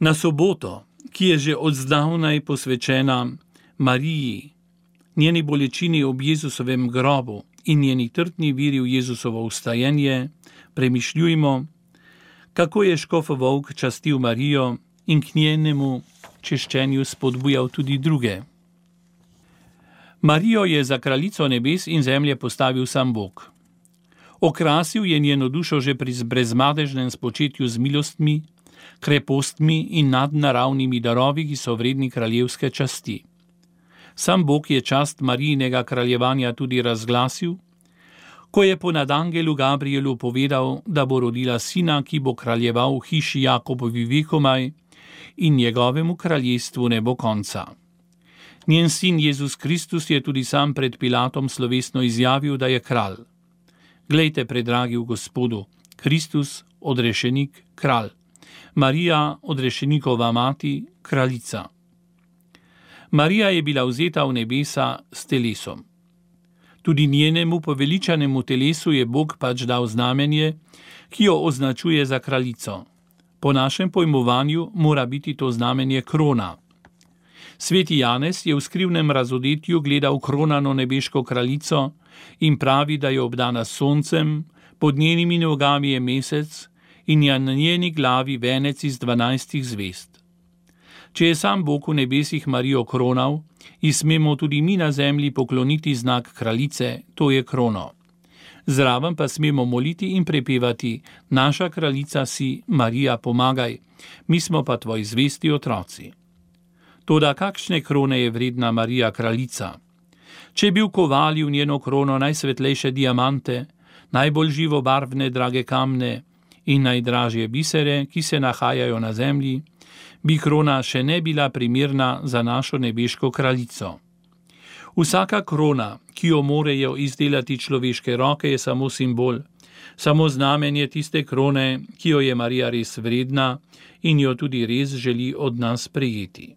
Na soboto, ki je že od zdavnaj posvečena Mariji, njeni bolečini ob Jezusovem grobu in njeni trdni veri v Jezusovo vstajenje, premišljujmo, kako je škof Volk častil Marijo in k njenemu češčenju spodbujal tudi druge. Marijo je za kraljico nebes in zemlje postavil sam Bog. Okrasil je njeno dušo že pri brezmadežnem spočetju z milostmi, krepostmi in nadnaravnimi darovi, ki so vredni kraljevske časti. Sam Bog je čast Marijinega kraljevanja tudi razglasil, ko je ponad angelu Gabrielu povedal, da bo rodila sina, ki bo kraljeval v hiši Jakobovi vekomaj in njegovemu kraljestvu ne bo konca. Njen sin Jezus Kristus je tudi sam pred Pilatom slovesno izjavil, da je kralj. Glejte, predragi v Gospodu, Kristus, odrešenik, kralj. Marija, odrešenikova mati, kraljica. Marija je bila vzeta v nebesa s telesom. Tudi njenemu poveličanemu telesu je Bog pač dal znamenje, ki jo označuje za kraljico. Po našem pojmovanju mora biti to znamenje krona. Sveti Janez je v skrivnem razodetju gledal kronano nebeško kraljico in pravi, da je obdana s soncem, pod njenimi nogami je mesec in je na njeni glavi venec iz 12 zvezd. Če je sam Bog v nebesih Marijo kronal, ji smemo tudi mi na zemlji pokloniti znak kraljice, to je krono. Zraven pa smemo moliti in prepevati: naša kraljica si, Marija, pomagaj, mi smo pa tvoji zvesti otroci. Toda kakšne krone je vredna Marija kraljica? Če bi vkovali v njeno krono najsvetlejše diamante, najbolj živobarvne drage kamne in najdražje bisere, ki se nahajajo na zemlji, bi krona še ne bila primerna za našo nebeško kraljico. Vsaka krona, ki jo morejo izdelati človeške roke, je samo simbol, samo znamenje tiste krone, ki jo je Marija res vredna in jo tudi res želi od nas prejeti.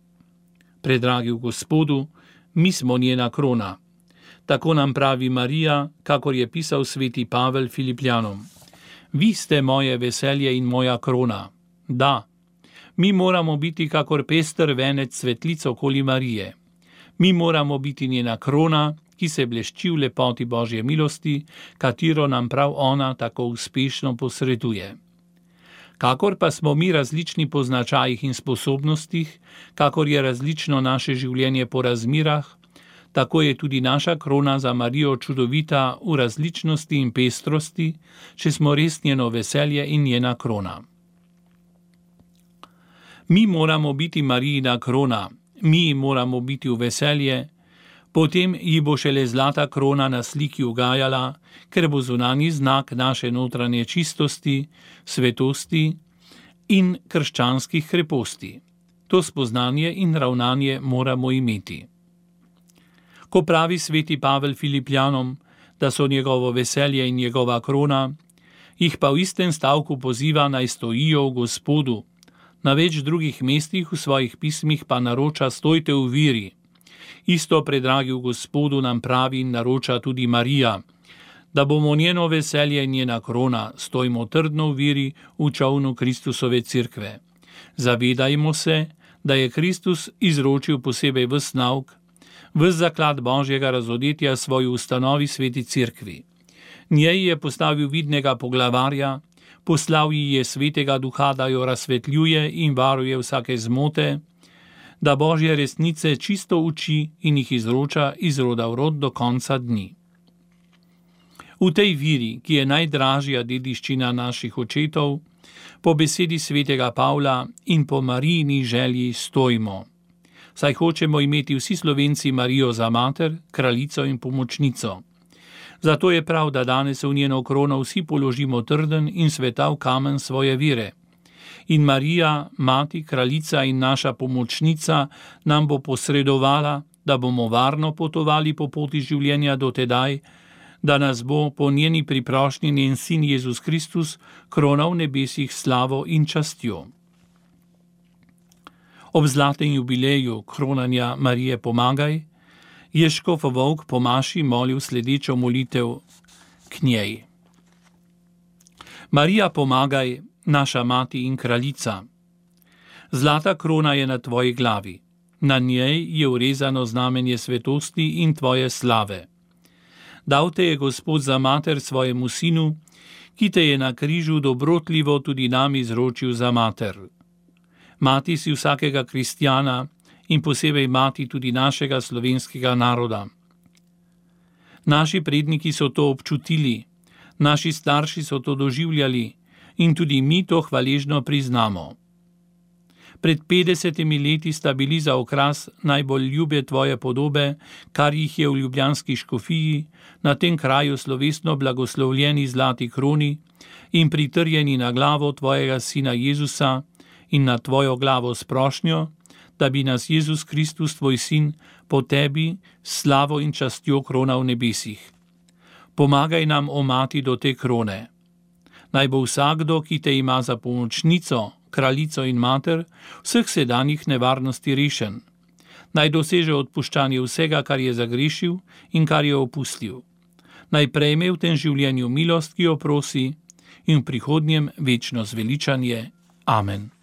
Predragi v Gospodu, mi smo njena krona. Tako nam pravi Marija, kakor je pisal sveti Pavel Filipljanom. Vi ste moje veselje in moja krona. Da, mi moramo biti kakor pester venec svetlic okoli Marije. Mi moramo biti njena krona, ki se blešči v lepoti Božje milosti, katero nam prav ona tako uspešno posreduje. Kakor pa smo mi različni po značajih in sposobnostih, kakor je različno naše življenje po razmirah, tako je tudi naša krona za Marijo čudovita v različnosti in pestrosti, če smo res njeno veselje in njena krona. Mi moramo biti Marijina krona, mi moramo biti v veselje, potem ji bo šele zlata krona na sliki ugajala, ker bo zunanji znak naše notranje čistosti, svetosti in krščanskih kreposti. To spoznanje in ravnanje moramo imeti. Ko pravi sveti Pavel Filipljanom, da so njegovo veselje in njegova krona, jih pa v istem stavku poziva naj stojijo v Gospodu. Na več drugih mestih v svojih pismih pa naroča: stojte v veri. Isto, predragi v Gospodu, nam pravi in naroča tudi Marija, da bomo njeno veselje in njena krona, stojimo trdno v veri v čolnu Kristusove cerkve. Zavedajmo se, da je Kristus izročil posebej ves nauk, ves zaklad Božjega razodetja svoji ustanovi sveti cerkvi. Njej je postavil vidnega poglavarja, poslal ji je svetega duha, da jo razsvetljuje in varuje vsake zmote, da Božje resnice čisto uči in jih izroča iz roda v rod do konca dni. V tej veri, ki je najdražja dediščina naših očetov, po besedi svetega Pavla in po Marijini želji stojimo. Saj hočemo imeti vsi Slovenci Marijo za mater, kraljico in pomočnico. Zato je prav, da danes v njeno krono vsi položimo trden in svetav kamen svoje vere. In Marija, mati, kraljica in naša pomočnica nam bo posredovala, da bomo varno potovali po poti življenja do tedaj, da nas bo po njeni priprošnji njen sin Jezus Kristus kronal v nebesih slavo in častjo. Ob zlatem jubileju kronanja Marije pomagaj, je škof Volk po maši molil sledečo molitev k njej. Marija pomagaj, naša mati in kraljica. Zlata krona je na tvoji glavi. Na njej je urezano znamenje svetosti in tvoje slave. Dal te je Gospod za mater svojemu sinu, ki te je na križu dobrotljivo tudi nam izročil za mater. Mati si vsakega kristjana in posebej mati tudi našega slovenskega naroda. Naši predniki so to občutili, naši starši so to doživljali in tudi mi to hvaležno priznamo. Pred 50 leti sta bili za okras najbolj ljube tvoje podobe, kar jih je v ljubljanski škofiji, na tem kraju slovesno blagoslovljeni zlati kroni in pritrjeni na glavo tvojega sina Jezusa in na tvojo glavo s prošnjo, da bi nas Jezus Kristus, tvoj sin, po tebi s slavo in častjo krona v nebesih. Pomagaj nam, o mati, do te krone. Naj bo vsakdo, ki te ima za pomočnico, kraljico in mater, vseh sedanjih nevarnosti rešen. Naj doseže odpuščanje vsega, kar je zagrešil in kar je opustil. Naj prejme v tem življenju milost, ki jo prosi, in v prihodnjem večno zveličanje. Amen.